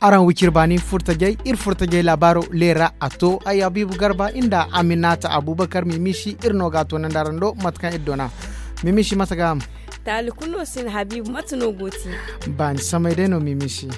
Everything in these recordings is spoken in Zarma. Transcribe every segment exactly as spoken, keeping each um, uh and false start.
Araŋ wicir baani furtajey iri furtajey laabaaro leera a to ay habiibu garba inda aminata abubakar mimisi iri no ga a toonandi araŋ do mate kaŋ iri doona. Mimisi mate ga ham? Taali kulu no sin habiibu mate no go ti? Baani samay day no mimisi.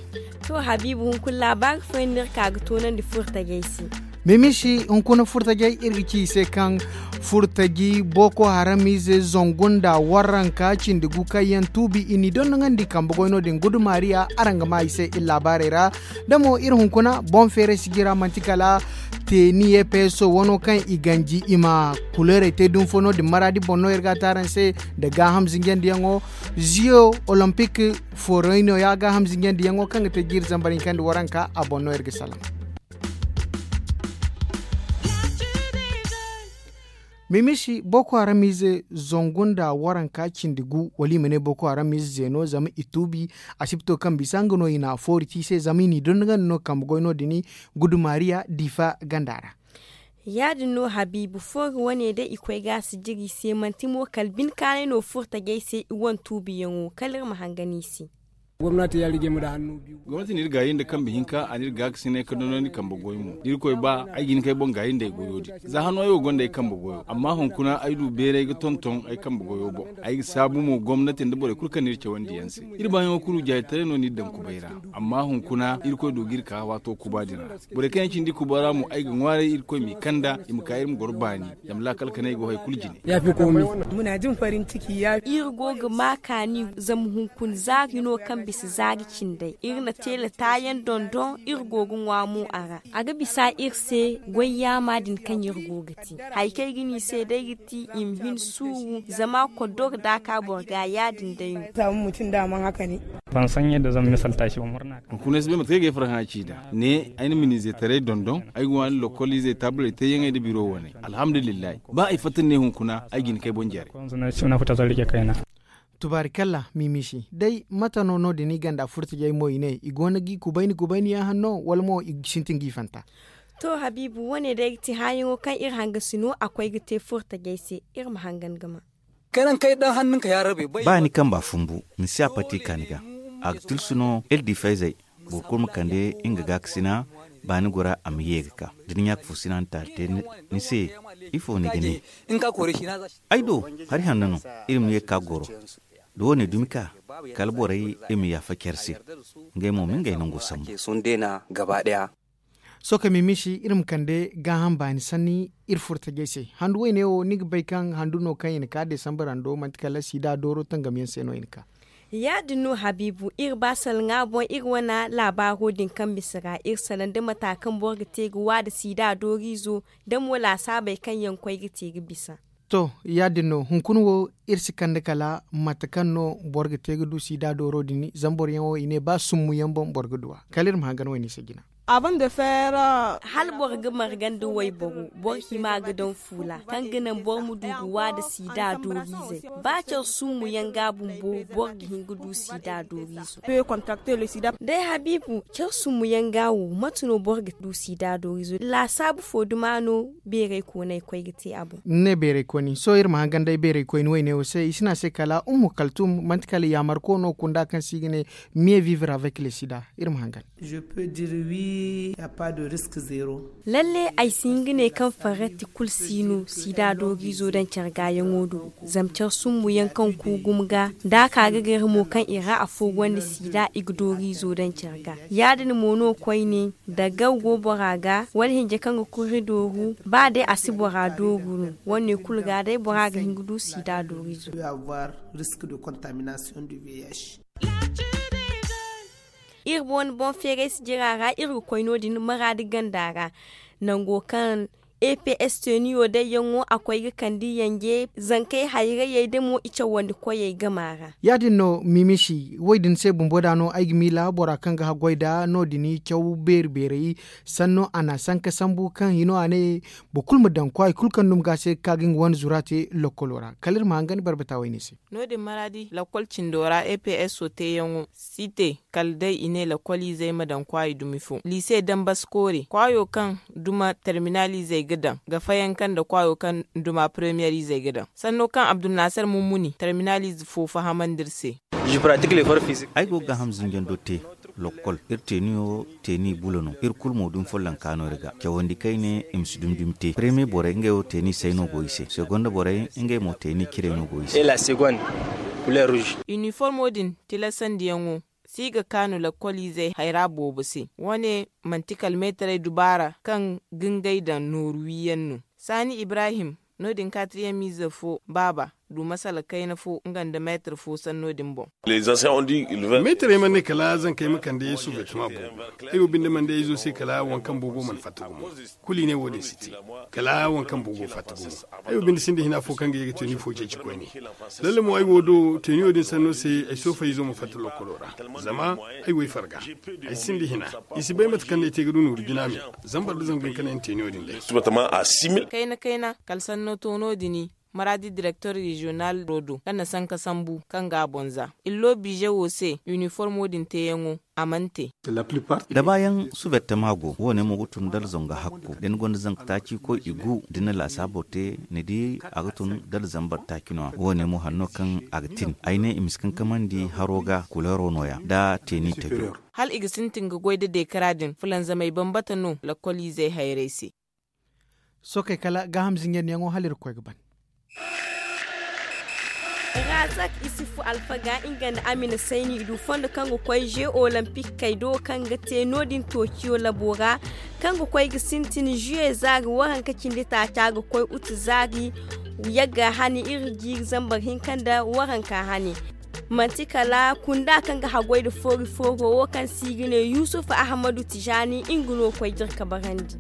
To habiibu hunkuna laabaari fooyaŋ no iri ka ga toonandi furtajey se. Mimisi hunkuna furtajey iri ga ci i se kaŋ furtaji boko haram ize zangu nda waranka cindi gu kaŋ yaŋ tuubi i n'i dondonandi kambe goy no- din gudu maariya araŋ ga maa i se iri laabaarey ra. Da mo iri hunkuna boŋ feeray sijira manti kala teeni ye peeso wano kaŋ i ganji i ma kuleerey te dumi fo no- din maraadi boŋ no iri ga a te araŋ se nda gaaham zinjandiyaŋo. Ziyo olompik foorayno ya gaaham zinjandiyaŋo kaŋ ga te jiiri zambar hinka nda waranka a boŋ no iri ga salaŋ. Mimisi boko haram ize zangu nda waranka cindi gu wala i ma ne boko haram ize zeeno zama i tuubi. Asibto kaŋ bisa nga no i na a foori te i se zama i n'i dondonandi no kambe goy no- din gudu maariya diifa ganda ra. Ya- din no habiibu foori wane day i koy ga a si jire i se manti mo kala bine kaanay no furtajey se i wane tuubiyaŋo kala iri ma hangan i se. Gomnati n'iri gaayi nda kambe hinka a n'iri gaakasinay ka dondonandi kambe goy mo da irkoy ba ay ga hin kay boŋ gaayi nda ay goyo din. Za hano ay wo gonda ay kambe goyo amma hunkuna ay du beeray ga tonton ay kambe goyo boŋ. Ay ga saabu mo gomnati nda borey kulu kaŋ n'iri cawandi yaŋ se. Iri baayaŋo kulu jaaytaray no n'iri daŋ kubay ra. Amma hunkuna irkoy du ga iri ka waato kuba din ra. Borey kaŋ yaŋ cindi kuba ra mo ay ga ŋwaaray irkoy m'i kanda i ma ka iri ma goro baani. Zama laakal kanay go hari kulu jine. Iri go ga ma kaani zama hunkuna zaari no kaŋ bisa zaari cindey iri na teela taayaŋ dondon iri go ga ŋwa mo a ra. A ga bisa iri se goy yaama din kaŋ iri go ga te. Hari kaŋ ay ga ne i se day ga ti i ma hin suuru zama koddoro daaka boro ga ya- din day no. Hunkuna ay si bay mate kaŋ ay ga ay farhã ci nd'a ne ay na miniize taray dondon ay ga waani lokol izey taaburey teeyaŋey nda biro waney. Alhamdulillahi ba ay fatta ni ne hunkuna ay ga hin kay boŋ jare. Tubaarikalla mimisi day mate no no- din i ganda furtajey mo i ne i go no ga i kubayni kubayni yaŋ hanno wala mo i sintin ga i fanta? To habiibu wane day ga ti hããyaŋo kaŋ iri hangasi no a koy ga te furtajey se. Iri ma hangan ga ma. Ba ni kamba fumbu ni si a pati ka ni ga. A ga tilsu no iri di fayzey boro kulu ma kande nga gaakasina. Ba ni gora a ma ye ga ka da ni ɲaaka fo sina ni taali te ni se. Ifo ni ga ne? Ay do hari hanno no. Iri ma ye ga ka goro da wo- ne dumi ka kala borey iri ma yaafa care se. Ngey mo ma ngey nango sambu. Sohõ kaŋ mimisi iri ma kande gaaham baani sanni iri furo tajey se. Handu woyne wo ni ga bay kaŋ handu no kaŋ i na ka desambar hando manti kala siida dooro tangamyaŋ se no i na ka. Ya- din no habiibu iri ba salŋa boŋ iri wane laabaaro din kaŋ bisa ra iri salaŋ da mata kaŋ boro ga te ga wa nda siida dooriizo da mo laasaabey kaŋ yaŋ koy ga te ga bisa. To, ya- din no hunkuna wo iri si kande kala mate kaŋ no boro ga te ga du siida dooro din zama boroyaŋ wo i ne ba summu yaŋ boŋ boro ga du a kala iri ma hangan wayne se jina. Hala boro ga marga nda wayboro boro hima ga daŋ fuula kaŋ ga naŋ boro ma du ga wa nda siida dooriizey. Ba care summu yaŋ ga bumbo boro ga hin ga du siida dooriizo. Day habiibu care summu yaŋ ga wo mate no boro ga du siida dooriizo laasaabu fo duma no? Beeray koonay koy ga te a boŋ. Ni ne beeray kooni sohõ iri ma hangan day beeray koyni wayne wo se i si ne a se kala ummu kaltum manti kala yaamarko no kunda kaŋ se i ga ne mieux vivre avec le sida. Iri ma hangan. Lalle ay si hin ga ne kaŋ farratti kulu si no siida dooriizo daŋ care gaayaŋo do. Zama care summu yaŋ kaŋ ku gumo ga da a ka ga gare mo kaŋ i ra afo gonda siida i ga dooriizo daŋ care ga. Ya- din mo no koyne da gaw go bora ga wala hinja kaŋ ga kuri dooru ba day a si bora dooru no. Wane kulu ga day bora ga hin ga du siida dooriizo. Iri boŋ wane boŋ feeray si jira ra iri ga koy no- din maraadi ganda ra nango kaŋ eps teniyo day yaŋo a koy ga kande yanje zankey hayrayey da mo i cawandi koyey gama ra. Ya- din no mimisi way din se bumbo da no ay ga miila bora kaŋ ga haggoy da no- din caw beeri beeray sanno a na a sanka sambu kaŋ hino a ne boro kulu ma daŋ kwaay kulu kaŋ duma ga a se ga ka ga nga wane zura te lokkolo ra kala iri ma hangan barbata wayne se. No- din maraadi lakkol cindo ra eps teeyaŋo si te kala day i ne lakkoliizey ma daŋ kwaayi dumi fo liise dambas koore kwaayo kaŋ duma terminaliizey ga daŋ ga fayanka nda kwaayo kaŋ duma premiyeriizey ga daŋ sanno kaŋ abdulnaasar mummuni terminaliize fo fahamandi iri se. Ay go ga gaaham zinjando te. Lokkol iri teeniyo teeni bulo no. Iri kulu mo dumi follonka no iri ga cawandi kayne i ma si dumi dumi te. Premier borey ngey wo teeni say no go i se. Segonda borey ngey mo teeni ciray no go i se. Iniformo din tilasandiyaŋo si ga kaanu lakkoliizey hayra boobo se. Wo- ne manti kala meetarey dubaara kaŋ ga ngey daŋ nooru wiyaŋ no. Saani ibrahim no- din kaatiriyaŋ miize fo baaba du masala kayna fo nga nda meetar fo sanno din boŋ. Meetarey mana ne kala zankey ma kande suvetama boobo. Ay wo binde mana day izo se kala waŋ kaŋ boobo mana fatta gumo. Kulu i ne wo- din si te kala waŋ kaŋ boobo fatta gumo. Ay wo binde sinda hina fo kaŋ ga ye ga teeni fo ceeci koyne. Lalle mo ay wo do teeniyo din sanno se ay soofay izo ma fatta lokkolo ra. Zama ay wo ay farga ay sinda hina. I si bay mate kaŋ no ay te ga du nooru jina me. Zambar da zangu hinka no ay na teeniyo din day. Kayna kayna kala sanno to no- din. Maraadi direktor reziyonal rodo kaŋ na sanka sambu kaŋ ga a boŋ za illo biize wo se iniformo din teeyaŋo a mana te. Dabaayaŋ suvettama go wo- ne mo ga tun dala zanga hakku da ni gonda zanga taaci koy i gu da ni na laasaabo te ni di a ga tun dala zambar taaci no- ya wo- ne mo hanno kaŋ a ga tin ay ne i ma si kankamandi haro ga kuleero no- ya da teeni tajo. Hala i ga sintin ga goy da deekara din fulanzamey bambata no lakkoliizey hayray se. Sookey kala gaaham zinjandiyaŋo hala iri ga koy ga ban. Razak isifu alfaga nga nda amina sayni i du fondo kaŋ ga koy ze olampikkey do kaŋ ga te no- din tociyo labo ra kaŋ ga koy ga sintin zuye zaari waranka cindi taaca ga koy utu zaari. Yagga hani iri jiiri zambar hinka nda waranka hani. Manti kala kunda kaŋ ga haggoy nda foori fooro wo kaŋ se i ga ne yusuf ahmadu tijani nga no koy jirka barandi.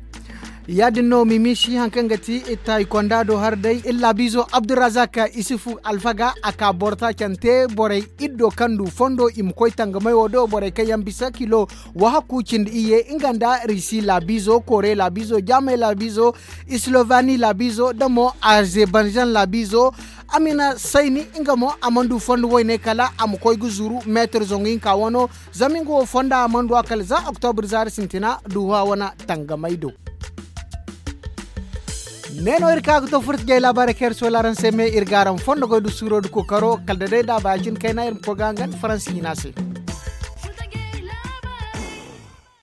Ya- din no mimiisi hari kaŋ ga ti tayi konda do hari day iri laabiizo abdurazak isifu alfaga a ka boro taacante borey iri do kaŋ du fondo i ma koy tangamey wo do borey kaŋ yaŋ bisa kilo wahakku cindi iyye nga nda risi laabiizo kore laabiizo jaamay laabiizo slovani laabiizo nda mo azerbaijan laabiizo. Amina sayni nga mo a mana du fondo wayne kala a ma koy ga zuru meetar zangu hinka wano. Zama nga wo fonda a mana du a kala za oktobur zaari sintina duha wane tangamay do. Ne no iri ka ga to furta jay laabaarey kaŋ iri sohõ araŋ se me iri ga araŋ fondo goy da suuro da kookaro kala da day da a ba ya- cine kayna iri ma koy ga hangan faransi hina se.